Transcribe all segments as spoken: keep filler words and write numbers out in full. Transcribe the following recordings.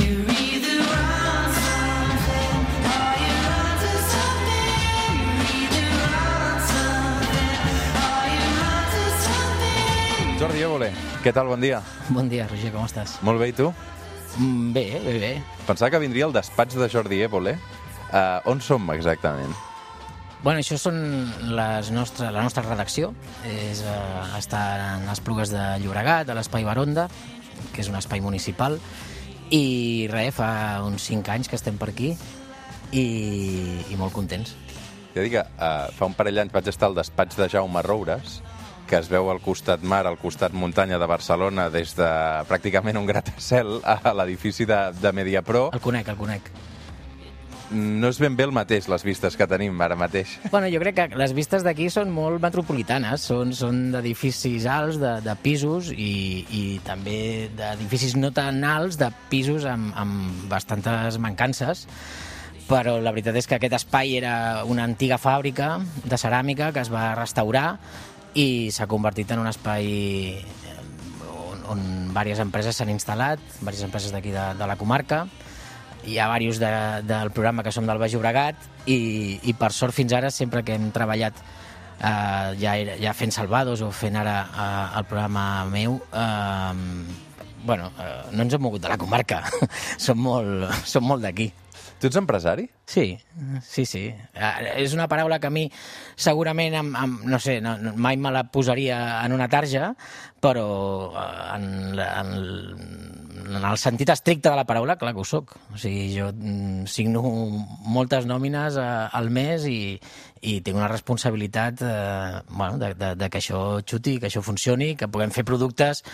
Jordi Évole, què tal? Bon dia. Bon dia, Roger, com estàs? Molt bé, i tu? Mm, bé, bé, bé. Pensava que vindria al despatx de Jordi Évole. Uh, on som exactament? Bueno, això són les nostres, la nostra redacció. És, uh, està en Esplugues de Llobregat, a l'Espai Baronda, que és un espai municipal. I res, fa uns cinc anys que estem per aquí i, i molt contents. Ja dic que uh, fa un parell d'anys vaig estar al despatx de Jaume Roures, que es veu al costat mar, al costat muntanya de Barcelona, des de pràcticament un gratacel a l'edifici de, de Mediapro. El conec, el conec. No és ben bé el mateix, les vistes que tenim ara mateix. Bueno, jo crec que les vistes d'aquí són molt metropolitanes, són, són d'edificis alts, de, de pisos, i, i també d'edificis no tan alts, de pisos amb, amb bastantes mancances, però la veritat és que aquest espai era una antiga fàbrica de ceràmica que es va restaurar i s'ha convertit en un espai on, on diverses empreses s'han instal·lat, diverses empreses d'aquí de, de la comarca. Hi ha diversos de, del programa que som del Baix Llobregat i, i per sort fins ara, sempre que hem treballat eh, ja, ja fent Salvados o fent ara eh, el programa meu, eh, bueno, eh, no ens hem mogut de la comarca, som molt, som molt d'aquí. Tu ets empresari? Sí, sí, sí. És una paraula que a mi segurament, amb, amb, no sé, no, mai me la posaria en una tarja, però en, en, en el sentit estricte de la paraula, clar que ho soc. O sigui, jo signo moltes nòmines al mes i, i tinc una responsabilitat eh, bueno, de, de, de que això xuti, que això funcioni, que puguem fer productes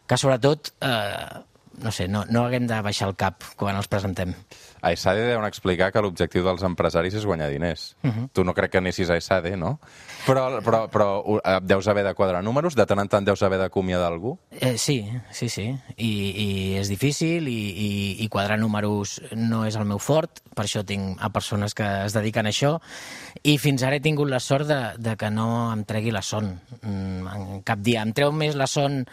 que sobretot eh, no sé, no, no haguem de baixar el cap quan els presentem. A ESADE deuen explicar que l'objectiu dels empresaris és guanyar diners. Uh -huh. Tu no crec que anessis a ESADE, no? Però, però, però deus haver de quadrar números? De tant en tant deus haver d'acomiadar algú? Eh, sí, sí, sí. I, i és difícil i, i, i quadrar números no és el meu fort, per això tinc a persones que es dediquen a això, i fins ara he tingut la sort de, de que no em tregui la son. En cap dia. Em treu més la son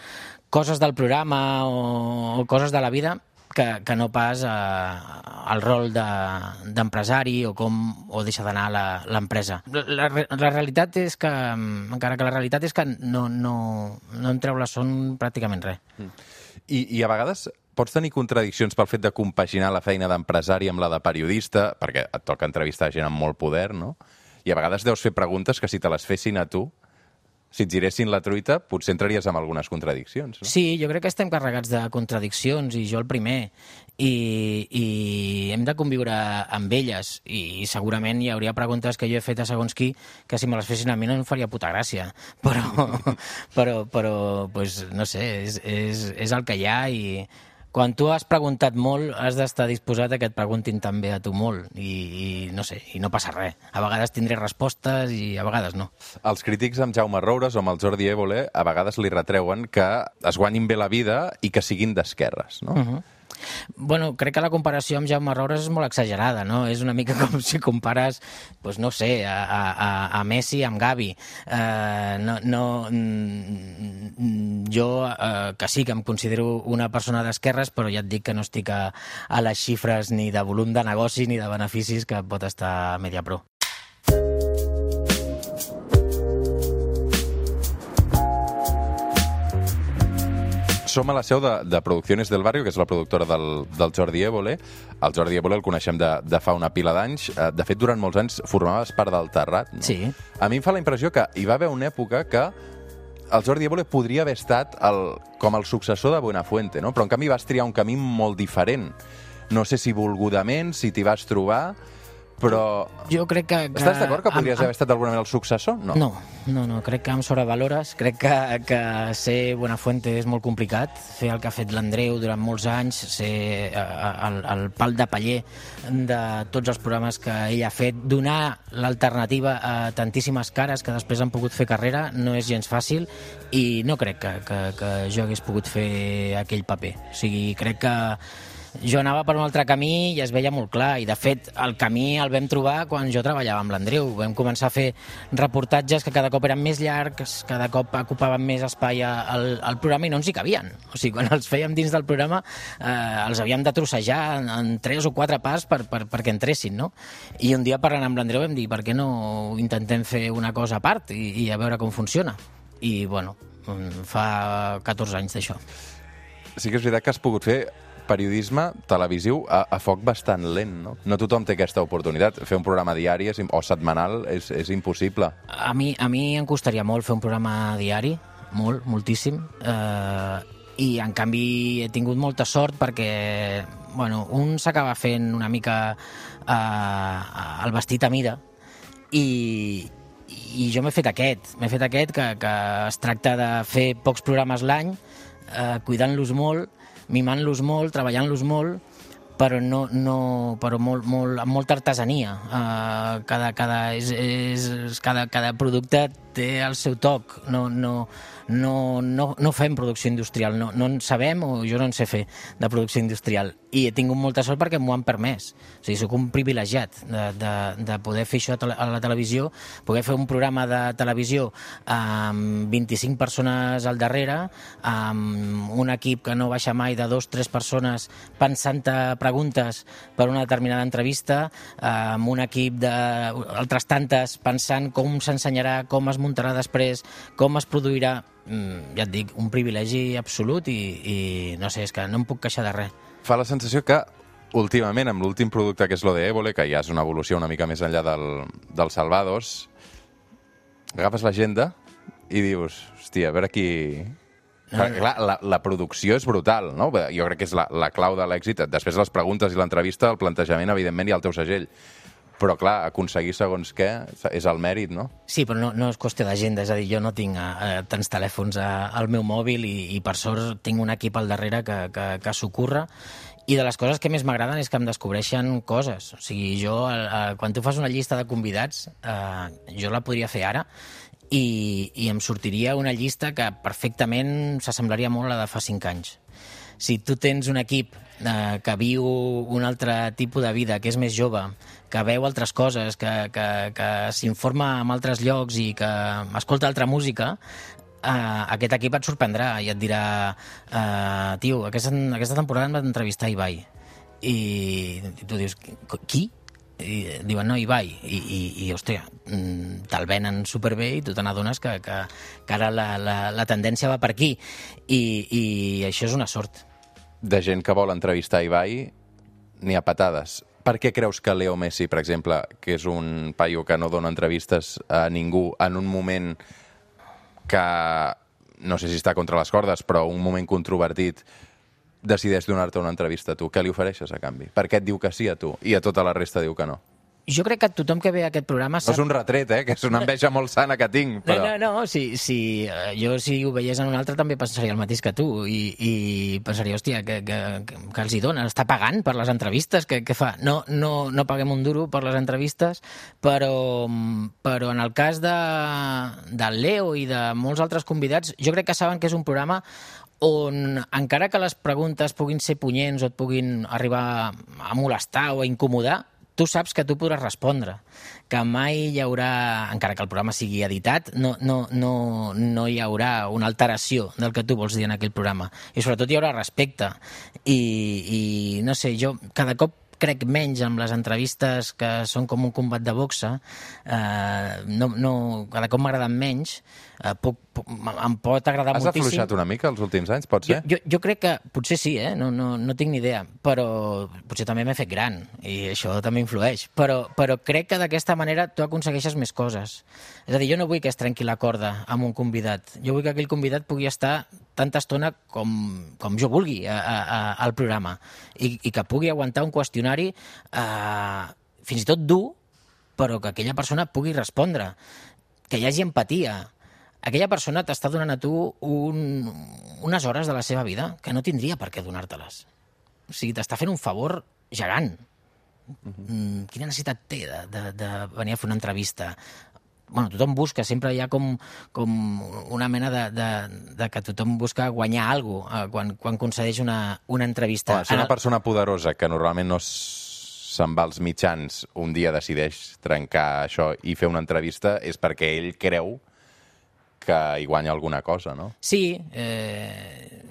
coses del programa o, o coses de la vida que, que no pas eh, el rol d'empresari de, o com o deixa d'anar l'empresa. La, la, la realitat és que, encara que la realitat és que no, no, no em treu la son pràcticament res. I, I a vegades pots tenir contradiccions pel fet de compaginar la feina d'empresari amb la de periodista, perquè et toca entrevistar gent amb molt poder, no? I a vegades deus fer preguntes que si te les fessin a tu, si et giressin la truita, potser entraries en algunes contradiccions, no? Sí, jo crec que estem carregats de contradiccions, i jo el primer, i, i hem de conviure amb elles, i segurament hi hauria preguntes que jo he fet a segons qui que si me les fessin a mi no em faria puta gràcia, però, però, però pues, no sé, és, és, és el que hi ha, i quan tu has preguntat molt, has d'estar disposat a que et preguntin també a tu molt, i, i no sé, i no passa res. A vegades tindré respostes i a vegades no. Els crítics amb Jaume Roures o amb el Jordi Évole a vegades li retreuen que es guanyin bé la vida i que siguin d'esquerres, no? Uh-huh. Bueno, crec que la comparació amb Jaume Roures és molt exagerada, no? És una mica com si compares, doncs no sé, a, a, a Messi amb Gavi. Uh, no, no, jo, uh, que sí que em considero una persona d'esquerres, però ja et dic que no estic a, a les xifres ni de volum de negoci ni de beneficis que pot estar a Mediapro. Som a la seu de, de Producciones del Barrio, que és la productora del, del Jordi Évole. El Jordi Évole el coneixem de, de fa una pila d'anys. De fet, durant molts anys formaves part del Terrat, no? Sí. A mi em fa la impressió que hi va haver una època que el Jordi Évole podria haver estat el, com el successor de Buenafuente, no? Però en canvi vas triar un camí molt diferent. No sé si volgudament, si t'hi vas trobar, però... Jo crec que... que Estàs d'acord que podries amb, haver estat d'alguna manera el successor? No. No, no, no. Crec que em sobrevalores. Crec que, que ser Buenafuente és molt complicat. Fer el que ha fet l'Andreu durant molts anys, ser el, el pal de paller de tots els programes que ell ha fet, donar l'alternativa a tantíssimes cares que després han pogut fer carrera, no és gens fàcil, i no crec que, que, que jo hagués pogut fer aquell paper. O sigui, crec que Jo anava per un altre camí i es veia molt clar, i de fet el camí el vam trobar quan jo treballava amb l'Andreu. Vam començar a fer reportatges que cada cop eren més llargs, cada cop ocupaven més espai al, al programa i no ens hi cabien. O sigui, quan els fèiem dins del programa eh, els havíem de trossejar en, en tres o quatre parts per, per, perquè entressin, no? I un dia parlant amb l'Andreu vam dir per què no intentem fer una cosa a part i, i a veure com funciona. I, bueno, fa catorze anys d'això. Sí que és veritat que has pogut fer periodisme televisiu a, a foc bastant lent, no? No tothom té aquesta oportunitat. Fer un programa diari és, o setmanal és, és impossible. A mi, a mi em costaria molt fer un programa diari, molt, moltíssim, eh, i en canvi he tingut molta sort perquè, bueno, un s'acaba fent una mica eh, el vestit a mida i, i jo m'he fet aquest, m'he fet aquest que, que es tracta de fer pocs programes l'any, eh, cuidant-los molt, mimant-los molt, treballant-los molt, però, no, no, però molt, molt, amb molta artesania. Uh, cada, cada, és, és, cada, cada producte té el seu toc. No, no, no, no, no fem producció industrial, no, no en sabem, o jo no en sé fer de producció industrial. I he tingut molta sort perquè m'ho han permès. O sigui, soc un privilegiat de, de, de poder fer això a la televisió, poder fer un programa de televisió amb vint-i-cinc persones al darrere, amb un equip que no baixa mai de dos o tres persones pensant-te preguntes per una determinada entrevista, amb un equip d'altres tantes pensant com s'ensenyarà, com es muntarà després, com es produirà. Ja et dic, un privilegi absolut i, i no sé, és que no em puc queixar de res. Fa la sensació que últimament, amb l'últim producte que és lo de Évole, que ja és una evolució una mica més enllà del, del Salvados, agafes l'agenda i dius, hòstia, a veure qui... No, no. Clar, la, la producció és brutal, no? Jo crec que és la, la clau de l'èxit. Després de les preguntes i l'entrevista, el plantejament, evidentment, hi ha el teu segell. Però, clar, aconseguir segons què és el mèrit, no? Sí, però no, no és qüestió d'agenda. És a dir, jo no tinc eh, tants telèfons a, al meu mòbil i, i, per sort, tinc un equip al darrere que, que, que s'ocorre. I de les coses que més m'agraden és que em descobreixen coses. O sigui, jo, eh, quan tu fas una llista de convidats, eh, jo la podria fer ara, i, i em sortiria una llista que perfectament s'assemblaria molt a la de fa cinc anys. Si tu tens un equip eh, que viu un altre tipus de vida, que és més jove, que veu altres coses, que, que, que s'informa en altres llocs i que escolta altra música, eh, aquest equip et sorprendrà i et dirà eh, tio, aquesta, aquesta temporada em va entrevistar Ibai. I tu dius, qui? I diuen, no, Ibai, i, i, i hòstia, te'l venen superbé i tu te n'adones que, que, que ara la, la, la tendència va per aquí i, i això és una sort. De gent que vol entrevistar Ibai n'hi ha patades. Per què creus que Leo Messi, per exemple, que és un paio que no dona entrevistes a ningú en un moment que no sé si està contra les cordes, però un moment controvertit, decideix donar-te una entrevista a tu? Què li ofereixes a canvi? Per què et diu que sí a tu i a tota la resta diu que no? Jo crec que tothom que ve a aquest programa sap... No és un retret, eh? Que és una enveja molt sana que tinc, però... No, no, no. Si, si, jo, si ho veiés en un altre, també pensaria el mateix que tu. I, i pensaria, hòstia, que, que, que els hi dona? Està pagant per les entrevistes? Què, què fa? No, no, no paguem un duro per les entrevistes, però, però en el cas de, del Leo i de molts altres convidats, jo crec que saben que és un programa on, encara que les preguntes puguin ser punyents o et puguin arribar a molestar o a incomodar, tu saps que tu podràs respondre, que mai hi haurà, encara que el programa sigui editat, no, no, no, no hi haurà una alteració del que tu vols dir en aquell programa. I sobretot hi haurà respecte. I, i no sé, jo cada cop crec menys amb les entrevistes que són com un combat de boxa, eh, no, no, cada cop m'agraden menys, eh, puc, puc, em pot agradar Has moltíssim. Has afluixat una mica els últims anys, pot ser? Jo, jo, jo crec que, potser sí, eh? no, no, no tinc ni idea, però potser també m'he fet gran, i això també influeix, però, però crec que d'aquesta manera tu aconsegueixes més coses. És a dir, jo no vull que es trenqui la corda amb un convidat, jo vull que aquell convidat pugui estar tanta estona com, com jo vulgui a, a, a, al programa i, i que pugui aguantar un qüestionari eh, fins i tot dur, però que aquella persona pugui respondre, que hi hagi empatia. Aquella persona t'està donant a tu un, unes hores de la seva vida que no tindria per què donar-te-les. O sigui, t'està fent un favor gegant. Uh-huh. Quina necessitat té de, de, de venir a fer una entrevista? bueno, tothom busca, sempre hi ha com, com una mena de, de, de que tothom busca guanyar alguna cosa quan, quan concedeix una, una entrevista. Home, si una persona poderosa que normalment no se'n va als mitjans un dia decideix trencar això i fer una entrevista és perquè ell creu que hi guanya alguna cosa, no? Sí, eh,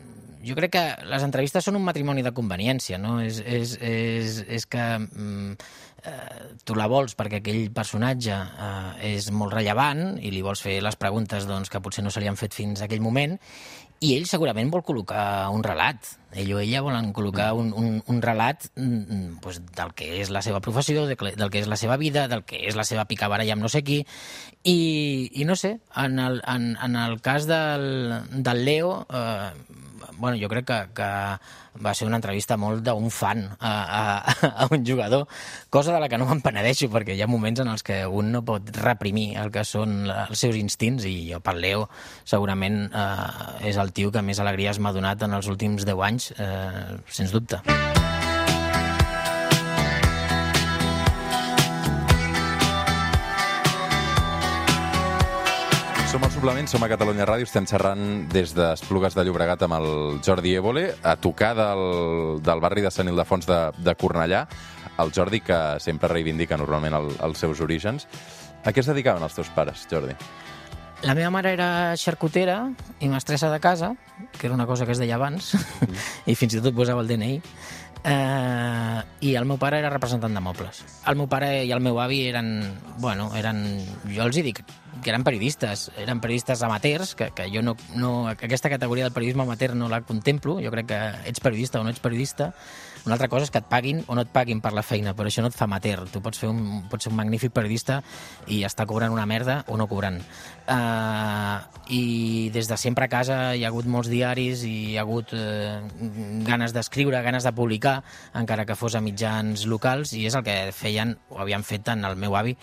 jo crec que les entrevistes són un matrimoni de conveniència, no? És, és, és, és que mm, eh, tu la vols perquè aquell personatge eh, és molt rellevant i li vols fer les preguntes doncs, que potser no se li han fet fins a aquell moment, i ell segurament vol col·locar un relat. Ell o ella volen col·locar un, un, un relat mm, doncs, del que és la seva professió, del que és la seva vida, del que és la seva picabaralla amb no sé qui. I, i no sé, en el, en, en el cas del, del Leo, eh, bueno, jo crec que, que va ser una entrevista molt d'un fan a, a, a un jugador, cosa de la que no me'n penedeixo, perquè hi ha moments en els que un no pot reprimir el que són els seus instints, i jo pel Leo segurament eh, és el tio que més alegries m'ha donat en els últims deu anys, eh, sens dubte. Som al Suplement, som a Catalunya Ràdio, estem xerrant des d'Esplugues de Llobregat amb el Jordi Évole, a tocar del, del barri de Sant Ildefons de, de Cornellà, el Jordi que sempre reivindica normalment el, els seus orígens. A què es dedicaven els teus pares, Jordi? La meva mare era xarcutera i mestressa de casa, que era una cosa que es deia abans, mm. i fins i tot posava el D N I, eh, i el meu pare era representant de mobles. El meu pare i el meu avi eren, bueno, eren, jo els hi dic, que eren periodistes, eren periodistes amateurs, que, que jo no, no, aquesta categoria del periodisme amateur no la contemplo, jo crec que ets periodista o no ets periodista. Una altra cosa és que et paguin o no et paguin per la feina, però això no et fa amateur. Tu pots, fer un, pots ser un magnífic periodista i estar cobrant una merda o no cobrant. Uh, I des de sempre a casa hi ha hagut molts diaris i hi ha hagut uh, ganes d'escriure, ganes de publicar, encara que fos a mitjans locals, i és el que feien o havien fet tant el meu avi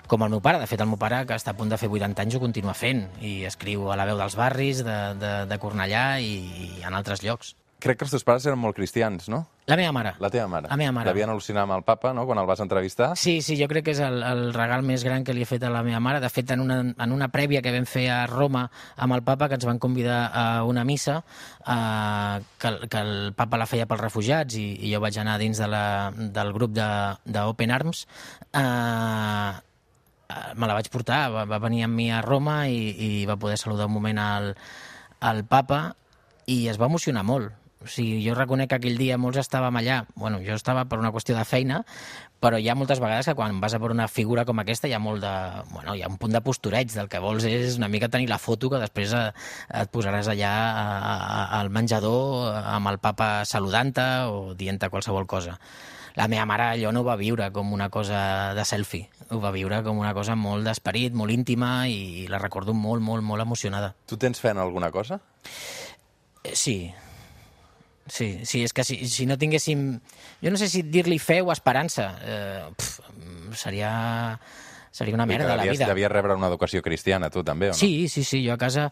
com el meu pare. De fet, el meu pare, que està a punt de fer vuitanta anys, ho continua fent, i escriu a La Veu dels Barris de, de, de Cornellà i, i en altres llocs. Crec que els teus pares eren molt cristians, no? La meva mare. La teva mare. La meva mare. L'havien al·lucinat amb el papa, no?, quan el vas entrevistar. Sí, sí, jo crec que és el, el regal més gran que li he fet a la meva mare. De fet, en una, en una prèvia que vam fer a Roma amb el papa, que ens van convidar a una missa, eh, que, que el papa la feia pels refugiats, i, i jo vaig anar dins de la, del grup d'Open Arms, eh, me la vaig portar, va, va venir amb mi a Roma i, i va poder saludar un moment al, al papa, i es va emocionar molt. O sigui, jo reconec que aquell dia molts estàvem allà, bueno, jo estava per una qüestió de feina, però hi ha moltes vegades que quan vas a per una figura com aquesta hi ha molt de, bueno, hi ha un punt de postureig, del que vols és una mica tenir la foto que després et posaràs allà al menjador amb el papa saludant-te o dient-te qualsevol cosa. La meva mare allò no ho va viure com una cosa de selfie, ho va viure com una cosa molt d'esperit, molt íntima, i la recordo molt, molt, molt emocionada. Tu tens fe en alguna cosa? Sí, sí, sí, és que si, si no tinguéssim... Jo no sé si dir-li fe o esperança, eh, pf, seria... Seria una merda de la vida. Devies rebre una educació cristiana, tu, també, o no? Sí, sí, sí. Jo a casa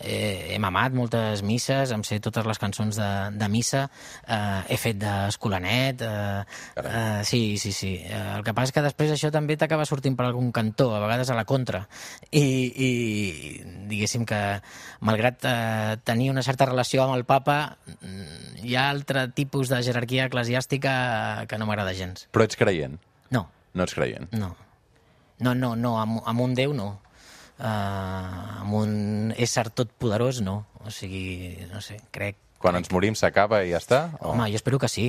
eh, he mamat moltes misses, em sé totes les cançons de, de missa, eh, he fet d'escolanet... Eh, eh, sí, sí, sí. Eh, el que passa és que després això també t'acaba sortint per algun cantó, a vegades a la contra. I, i diguéssim que, malgrat eh, tenir una certa relació amb el papa, hi ha altre tipus de jerarquia eclesiàstica que no m'agrada gens. Però ets creient? No. No ets creient? No. No, no, no, amb, amb un Déu no. Uh, amb un ésser totpoderós no. O sigui, no sé, crec... Quan crec. ens morim s'acaba i ja està? O... Home, jo espero que sí.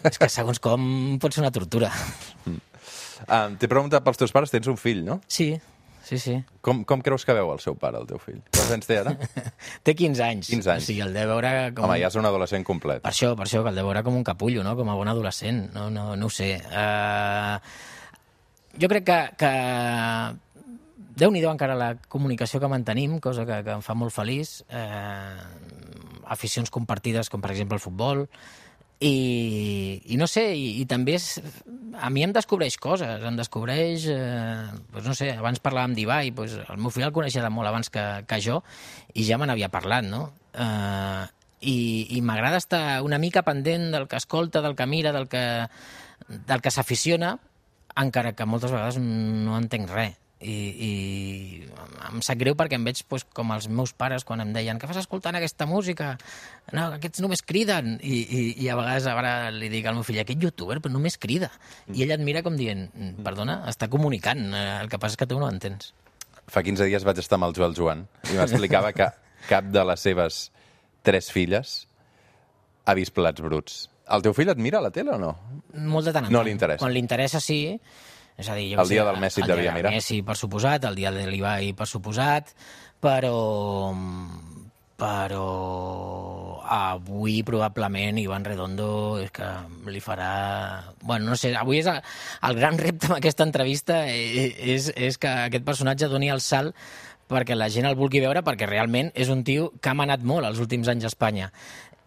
És que segons com pot ser una tortura. Mm. Uh, T'he preguntat pels teus pares, tens un fill, no? Sí, sí, sí. Com, com creus que veu el seu pare, el teu fill? Quants anys té ara? Té quinze anys. quinze anys. O sigui, el deu veure com... Home, ja és un adolescent complet. Per això, per això, que el deu veure com un capullo, no? Com a bon adolescent. No, no, no ho sé. Uh... Jo crec que, que Déu-n'hi-do encara la comunicació que mantenim, cosa que, que em fa molt feliç, eh, aficions compartides com per exemple el futbol, i, i no sé, i, i també és, a mi em descobreix coses, em descobreix, eh, doncs no sé, abans parlàvem d'Ibai, doncs el meu fill el coneixia de molt abans que, que jo, i ja me n'havia parlat, no? Eh, i i m'agrada estar una mica pendent del que escolta, del que mira, del que, del que s'aficiona, encara que moltes vegades no entenc res. i, i em sap greu perquè em veig pues, com els meus pares quan em deien què fas escoltant aquesta música? No, aquests només criden. I, i, i a vegades ara li dic al meu fill, aquest youtuber però només crida. I ell et mira com dient, perdona, està comunicant, el que passa és que tu no ho entens. Fa quinze dies vaig estar amb el Joel Joan i m'explicava que cap de les seves tres filles ha vist Plats Bruts. El teu fill et mira a la tele o no? Molt de tant en tant. No li interessa. Quan li interessa, sí. És a dir, jo el dia sé, del Messi et devia mirar. El dia del Messi, per suposat, el dia de l'Ibai, per suposat, però... però avui probablement Iván Redondo és que li farà... Bueno, no sé, avui és el, el gran repte amb aquesta entrevista és, és que aquest personatge doni el salt perquè la gent el vulgui veure, perquè realment és un tio que ha manat molt els últims anys a Espanya.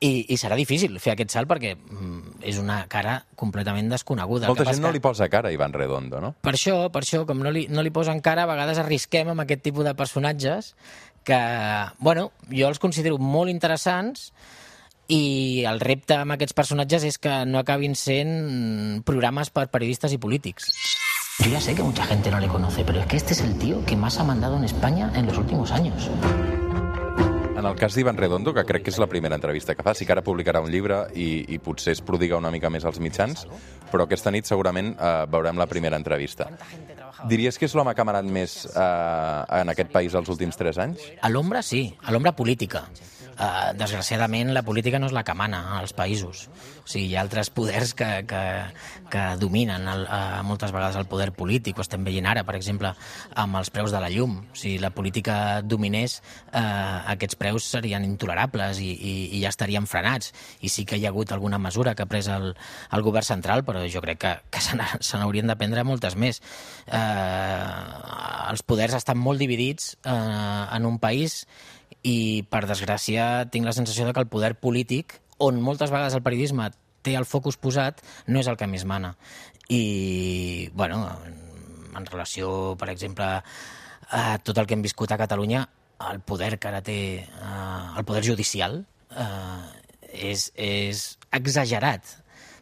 I, i serà difícil fer aquest salt perquè mm, és una cara completament desconeguda. Molta gent no li posa cara a Iván Redondo, no? Per això, per això, com no li, no li posen cara, a vegades arrisquem amb aquest tipus de personatges que, bueno, jo els considero molt interessants i el repte amb aquests personatges és que no acabin sent programes per periodistes i polítics. Yo ya sé que mucha gente no le conoce, pero es que este es el tío que más ha mandado en España en los últimos años. En el cas d'Iván Redondo, que crec que és la primera entrevista que fa, sí que ara publicarà un llibre i, i potser es prodiga una mica més als mitjans, però aquesta nit segurament eh, veurem la primera entrevista. Diries que és l'home que ha manat més eh, en aquest país els últims tres anys? A l'ombra, sí. A l'ombra política. Uh, desgraciadament, la política no és la que mana als països. O sigui, hi ha altres poders que, que, que dominen el, uh, moltes vegades el poder polític. Ho estem veient ara, per exemple, amb els preus de la llum. Si la política dominés, uh, aquests preus serien intolerables i, i, i ja estarien frenats. I sí que hi ha hagut alguna mesura que ha pres el, el govern central, però jo crec que, que se n'haurien de prendre moltes més. Uh, els poders estan molt dividits uh, en un país i, per desgràcia, tinc la sensació de que el poder polític, on moltes vegades el periodisme té el focus posat, no és el que més mana. I, bueno, en relació, per exemple, a tot el que hem viscut a Catalunya, el poder que ara té eh, el poder judicial eh, és, és exagerat.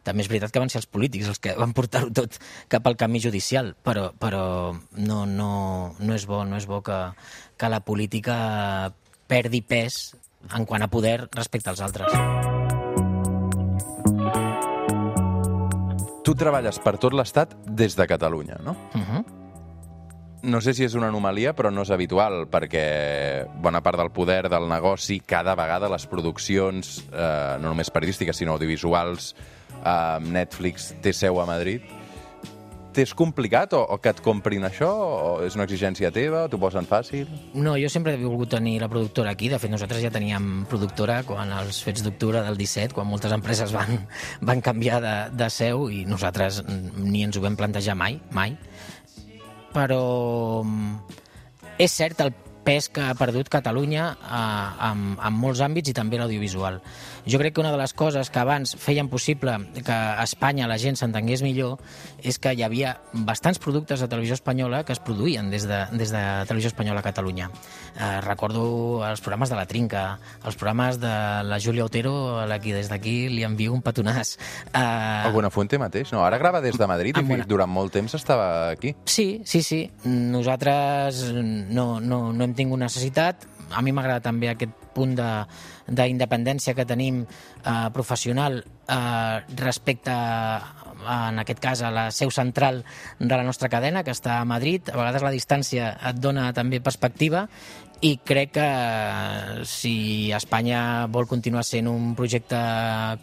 També és veritat que van ser els polítics els que van portar-ho tot cap al camí judicial, però, però no, no, no és bo, no és bo que, que la política perdi pes en quant a poder respecte als altres. Tu treballes per tot l'Estat des de Catalunya, no? Uh-huh. No sé si és una anomalia, però no és habitual, perquè bona part del poder del negoci, cada vegada les produccions, eh, no només periodístiques, sinó audiovisuals, eh, Netflix té seu a Madrid. T'és complicat o, o que et comprin això? O és una exigència teva? O t'ho posen fàcil? No, jo sempre he volgut tenir la productora aquí. De fet, nosaltres ja teníem productora quan els fets d'octubre del disset, quan moltes empreses van, van canviar de, de seu i nosaltres ni ens ho vam plantejar mai, mai. Però és cert el pes que ha perdut Catalunya eh, en, en molts àmbits i també l'audiovisual. Jo crec que una de les coses que abans feien possible que a Espanya la gent s'entengués millor és que hi havia bastants productes de televisió espanyola que es produïen des de, des de Televisió Espanyola a Catalunya. Eh, recordo els programes de La Trinca, els programes de la Júlia Otero, a la qui des d'aquí li envio un petonàs. Eh, El Buenafuente mateix? No, ara grava des de Madrid i Buena... durant molt temps estava aquí. Sí, sí, sí. Nosaltres no, no, no hem tingut necessitat. A mi m'agrada també aquest punt d'independència que tenim eh, professional eh, respecte, a, en aquest cas, a la seu central de la nostra cadena, que està a Madrid. A vegades la distància et dona també perspectiva i crec que si Espanya vol continuar sent un projecte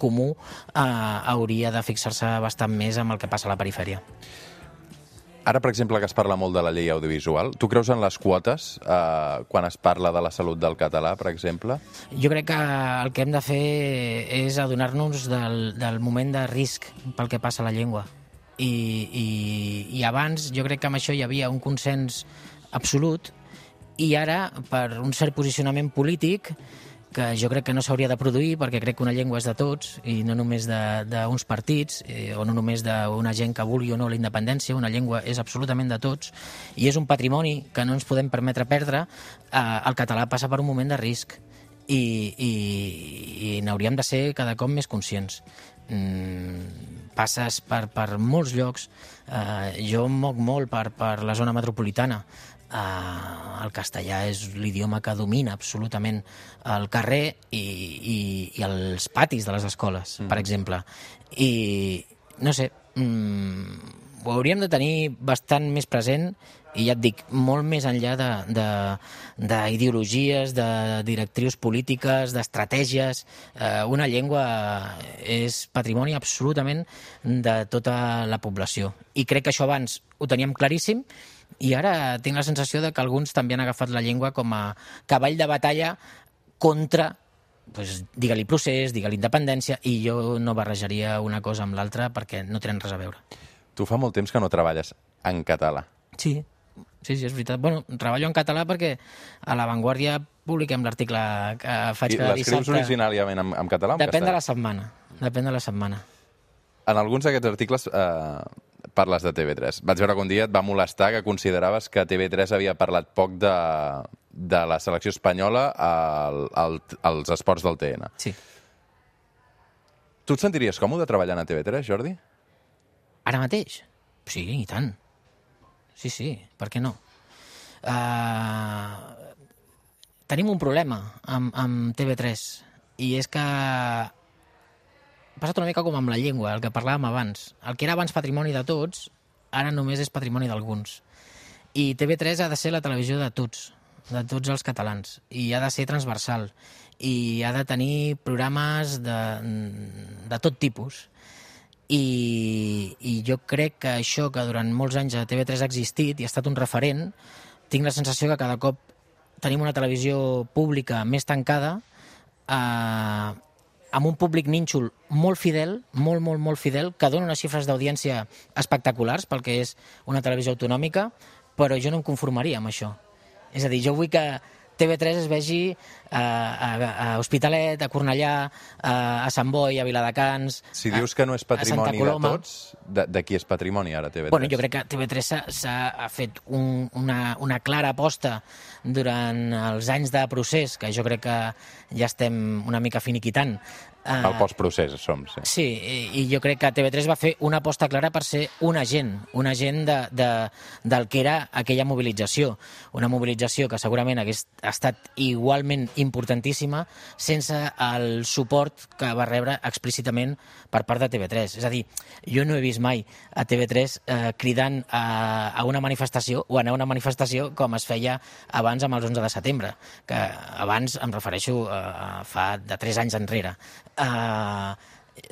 comú, eh, hauria de fixar-se bastant més amb el que passa a la perifèria. Ara, per exemple, que es parla molt de la llei audiovisual, tu creus en les quotes eh, quan es parla de la salut del català, per exemple? Jo crec que el que hem de fer és adonar-nos del, del moment de risc pel que passa a la llengua. I, i, I abans jo crec que amb això hi havia un consens absolut i ara, per un cert posicionament polític, que jo crec que no s'hauria de produir perquè crec que una llengua és de tots i no només d'uns partits eh, o no només d'una gent que vulgui o no la independència. Una llengua és absolutament de tots i és un patrimoni que no ens podem permetre perdre. Eh, el català passa per un moment de risc i, i, i n'hauríem de ser cada cop més conscients. Mm, passes per, per molts llocs. Uh, jo em moc molt per, per la zona metropolitana. Uh, el castellà és l'idioma que domina absolutament el carrer i, i, i els patis de les escoles, mm. per exemple. I, no sé, mm, ho hauríem de tenir bastant més present i ja et dic, molt més enllà d'ideologies, de, de, de directrius polítiques, d'estratègies. Eh, una llengua és patrimoni absolutament de tota la població. I crec que això abans ho teníem claríssim i ara tinc la sensació de que alguns també han agafat la llengua com a cavall de batalla contra, pues, digue-li procés, digue-li independència, i jo no barrejaria una cosa amb l'altra perquè no tenen res a veure. Tu fa molt temps que no treballes en català. Sí, sí, sí, és veritat. Bueno, treballo en català perquè a La Vanguardia publiquem l'article que faig cada dissabte. I l'escrius originàriament en, en català o en Depèn castellà? de la setmana. Depèn de la setmana. En alguns d'aquests articles eh, parles de T V tres. Vaig veure que un dia et va molestar que consideraves que T V tres havia parlat poc de, de la selecció espanyola al, al, als esports del T N. Sí. Tu et sentiries còmode treballant a T V tres, Jordi? Ara mateix? Sí, i tant. Sí, sí, per què no? Uh, tenim un problema amb, amb T V tres i és que ha passat una mica com amb la llengua, el que parlàvem abans. El que era abans patrimoni de tots, ara només és patrimoni d'alguns. I T V tres ha de ser la televisió de tots, de tots els catalans, i ha de ser transversal, i ha de tenir programes de, de tot tipus. I, i jo crec que això que durant molts anys a T V tres ha existit i ha estat un referent, tinc la sensació que cada cop tenim una televisió pública més tancada, eh, amb un públic nínxol molt fidel, molt, molt, molt fidel, que dona unes xifres d'audiència espectaculars pel que és una televisió autonòmica, però jo no em conformaria amb això. És a dir, jo vull que T V tres es vegi a, a, a Hospitalet, a Cornellà, a, a Sant Boi, a Viladecans... Si dius que no és patrimoni de tots, de, de qui és patrimoni ara T V tres? Bueno, jo crec que T V tres s'ha fet un, una, una clara aposta durant els anys de procés, que jo crec que ja estem una mica finiquitant. El postprocés som, sí. Sí, i, i jo crec que T V tres va fer una aposta clara per ser un agent, un agent de, de, del que era aquella mobilització. Una mobilització que segurament hagués estat igualment importantíssima sense el suport que va rebre explícitament per part de T V tres. És a dir, jo no he vist mai a T V tres eh, cridant a, a una manifestació o anar a una manifestació com es feia abans amb els onze de setembre, que abans em refereixo a, a fa de tres anys enrere. Uh,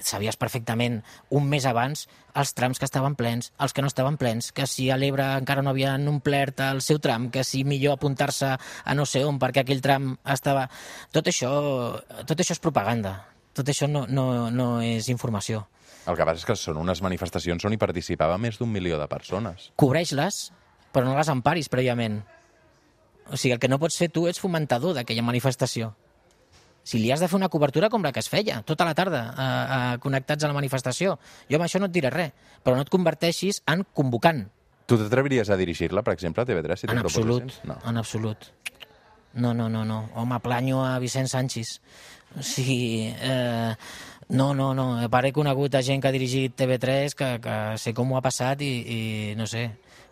sabies perfectament un mes abans els trams que estaven plens, els que no estaven plens, que si a l'Ebre encara no havien omplert el seu tram, que si millor apuntar-se a no sé on perquè aquell tram estava... Tot això, tot això és propaganda, tot això no, no, no és informació. El que passa és que són unes manifestacions on hi participava més d'un milió de persones. Cobreix-les, però no les emparis prèviament. O sigui, el que no pots fer tu és fomentador d'aquella manifestació. Si li has de fer una cobertura com la que es feia, tota la tarda, eh, eh, connectats a la manifestació. Jo amb això no et diré res, però no et converteixis en convocant. Tu t'atreviries a dirigir-la, per exemple, a T V tres? Si en absolut, no. en absolut. No, no, no, no. Home, planyo a Vicent Sanchis. O sigui, eh, no, no, no. A part he conegut a gent que ha dirigit T V tres que, que sé com ho ha passat i, i no sé,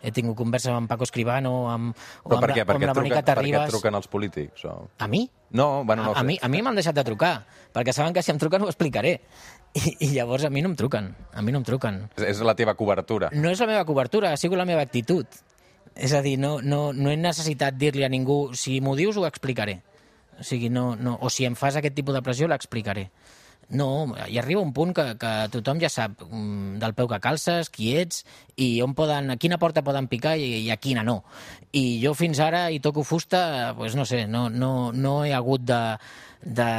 he tingut converses amb Paco Escribano, amb, o amb, per què? la, amb la Mònica Terribas. Per què et truquen els polítics? O... A mi? No, bueno, no a, a mi, a mi m'han deixat de trucar, perquè saben que si em truquen ho explicaré. I, I llavors a mi no em truquen, a mi no em truquen. És, és la teva cobertura. No és la meva cobertura, ha sigut la meva actitud. És a dir, no, no, no he necessitat dir-li a ningú, si m'ho dius ho explicaré. O sigui, no, no, o si em fas aquest tipus de pressió l'explicaré. No, hi arriba un punt que, que tothom ja sap del peu que calces, qui ets i on poden, a quina porta poden picar i, i a quina no. I jo fins ara hi toco fusta, pues no sé, no, no, no he hagut de, de,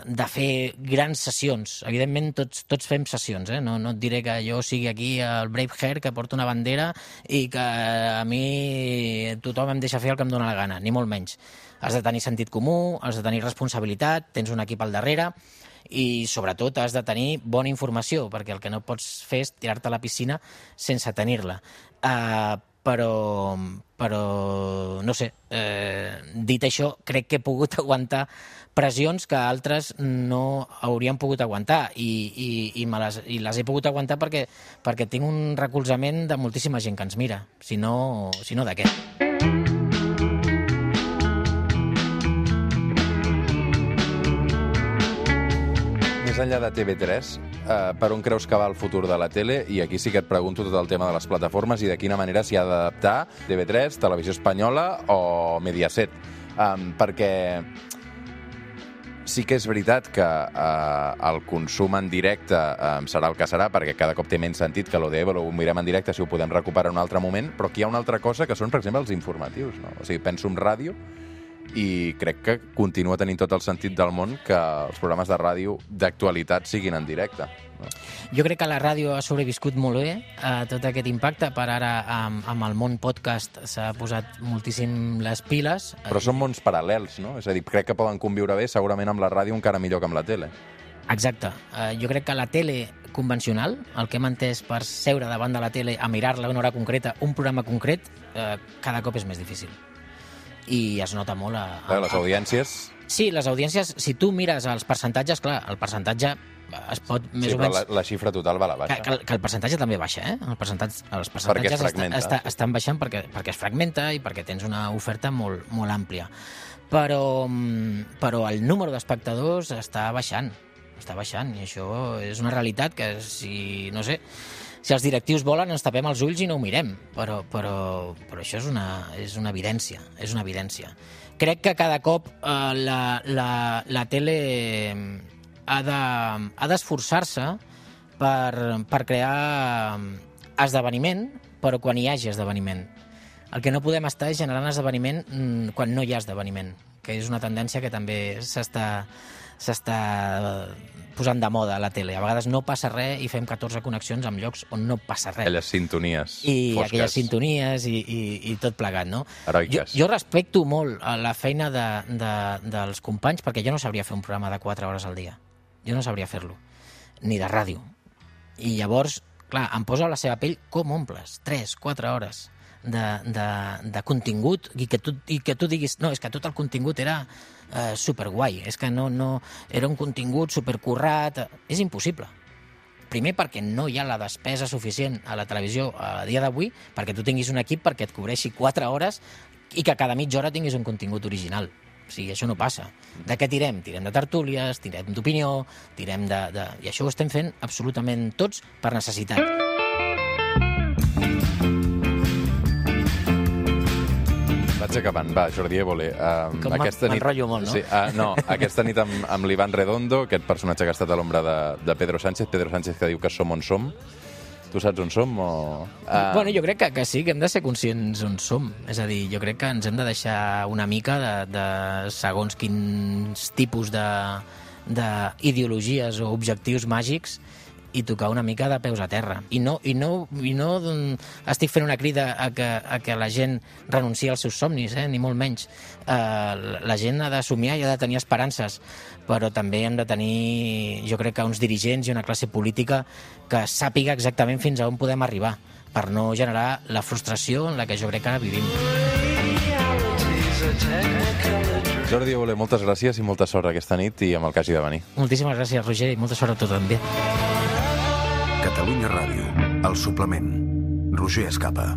de fer grans sessions. Evidentment tots, tots fem sessions, eh? no, no et diré que jo sigui aquí el brave hair que porta una bandera i que a mi tothom em deixa fer el que em dóna la gana, ni molt menys. Has de tenir sentit comú, has de tenir responsabilitat, tens un equip al darrere i sobretot has de tenir bona informació, perquè el que no pots fer és tirar-te a la piscina sense tenir-la. Uh, però, però no sé, eh, dit això, crec que he pogut aguantar pressions que altres no haurien pogut aguantar i, i, i, me les, i les he pogut aguantar perquè, perquè tinc un recolzament de moltíssima gent que ens mira, si no, si no de què. Més enllà de T V tres, eh, per on creus que va el futur de la tele? I aquí sí que et pregunto tot el tema de les plataformes i de quina manera s'hi ha d'adaptar T V tres, Televisió Espanyola o Mediaset. Um, perquè sí que és veritat que eh, el consum en directe eh, serà el que serà, perquè cada cop té menys sentit que l'O D E ho mirem en directe si ho podem recuperar en un altre moment, però aquí hi ha una altra cosa que són, per exemple, els informatius. No? O sigui, penso en ràdio i crec que continua tenint tot el sentit del món que els programes de ràdio d'actualitat siguin en directe. No? Jo crec que la ràdio ha sobreviscut molt bé a tot aquest impacte. Per ara, amb, amb el món podcast s'ha posat moltíssim les piles. Però són mons paral·lels, no? És a dir, crec que poden conviure bé segurament amb la ràdio encara millor que amb la tele. Exacte. Uh, jo crec que la tele convencional, el que hem entès per seure davant de la tele a mirar-la una hora concreta, un programa concret, uh, cada cop és més difícil. I es nota molt a... a les audiències... Sí, les audiències, si tu mires els percentatges, clar, el percentatge es pot més sí, o menys... Sí, però la, la xifra total va a la baixa. Que, que el percentatge també baixa, eh? El percentatge, els percentatges està, està, sí. estan baixant perquè, perquè es fragmenta i perquè tens una oferta molt, molt àmplia. Però, però el número d'espectadors està baixant, està baixant, i això és una realitat que si, no sé... Si els directius volen, ens tapem els ulls i no ho mirem, però, però, però això és una, és una evidència, és una evidència. Crec que cada cop eh, la, la, la tele ha de, ha d'esforçar-se per, per crear esdeveniment, però quan hi hagi esdeveniment. El que no podem estar és generant esdeveniment quan no hi ha esdeveniment, que és una tendència que també s'està s'està posant de moda a la tele. A vegades no passa res i fem catorze connexions amb llocs on no passa res. Aquelles sintonies I fosques. aquelles sintonies i, i, i tot plegat, no? Heroiques. Jo, jo respecto molt la feina de, de, dels companys perquè jo no sabria fer un programa de quatre hores al dia. Jo no sabria fer-lo. Ni de ràdio. I llavors, clar, em poso a la seva pell com omples. Tres, quatre hores de, de, de contingut i que, tu, i que tu diguis, no, és que tot el contingut era eh, superguai, és que no, no, era un contingut supercurrat, és impossible. Primer perquè no hi ha la despesa suficient a la televisió a dia d'avui perquè tu tinguis un equip perquè et cobreixi quatre hores i que cada mitja hora tinguis un contingut original. O sigui, això no passa. De què tirem? Tirem de tertúlies, tirem d'opinió, tirem de, de... I això ho estem fent absolutament tots per necessitat. Vaig acabant. Va, Jordi Évole. Uh, Com m'enrotllo molt, no? Sí, uh, no, aquesta nit amb, amb l'Ivan Redondo, aquest personatge que ha estat a l'ombra de, de Pedro Sánchez, Pedro Sánchez que diu que som on som. Tu saps on som? O... Uh... Bueno, jo crec que, que sí, que hem de ser conscients on som. És a dir, jo crec que ens hem de deixar una mica de, de segons quins tipus de, d'ideologies o objectius màgics i tocar una mica de peus a terra. I no, i no, i no estic fent una crida a que, a que la gent renunciï als seus somnis, eh? Ni molt menys. Uh, la gent ha de somiar i ha de tenir esperances, però també hem de tenir, jo crec que uns dirigents i una classe política que sàpiga exactament fins a on podem arribar, per no generar la frustració en la que jo crec que ara vivim. Jordi Évole, moltes gràcies i molta sort aquesta nit i amb el que hagi de venir. Moltíssimes gràcies, Roger, i molta sort a tot també. Catalunya Ràdio, el suplement. Roger Escapa.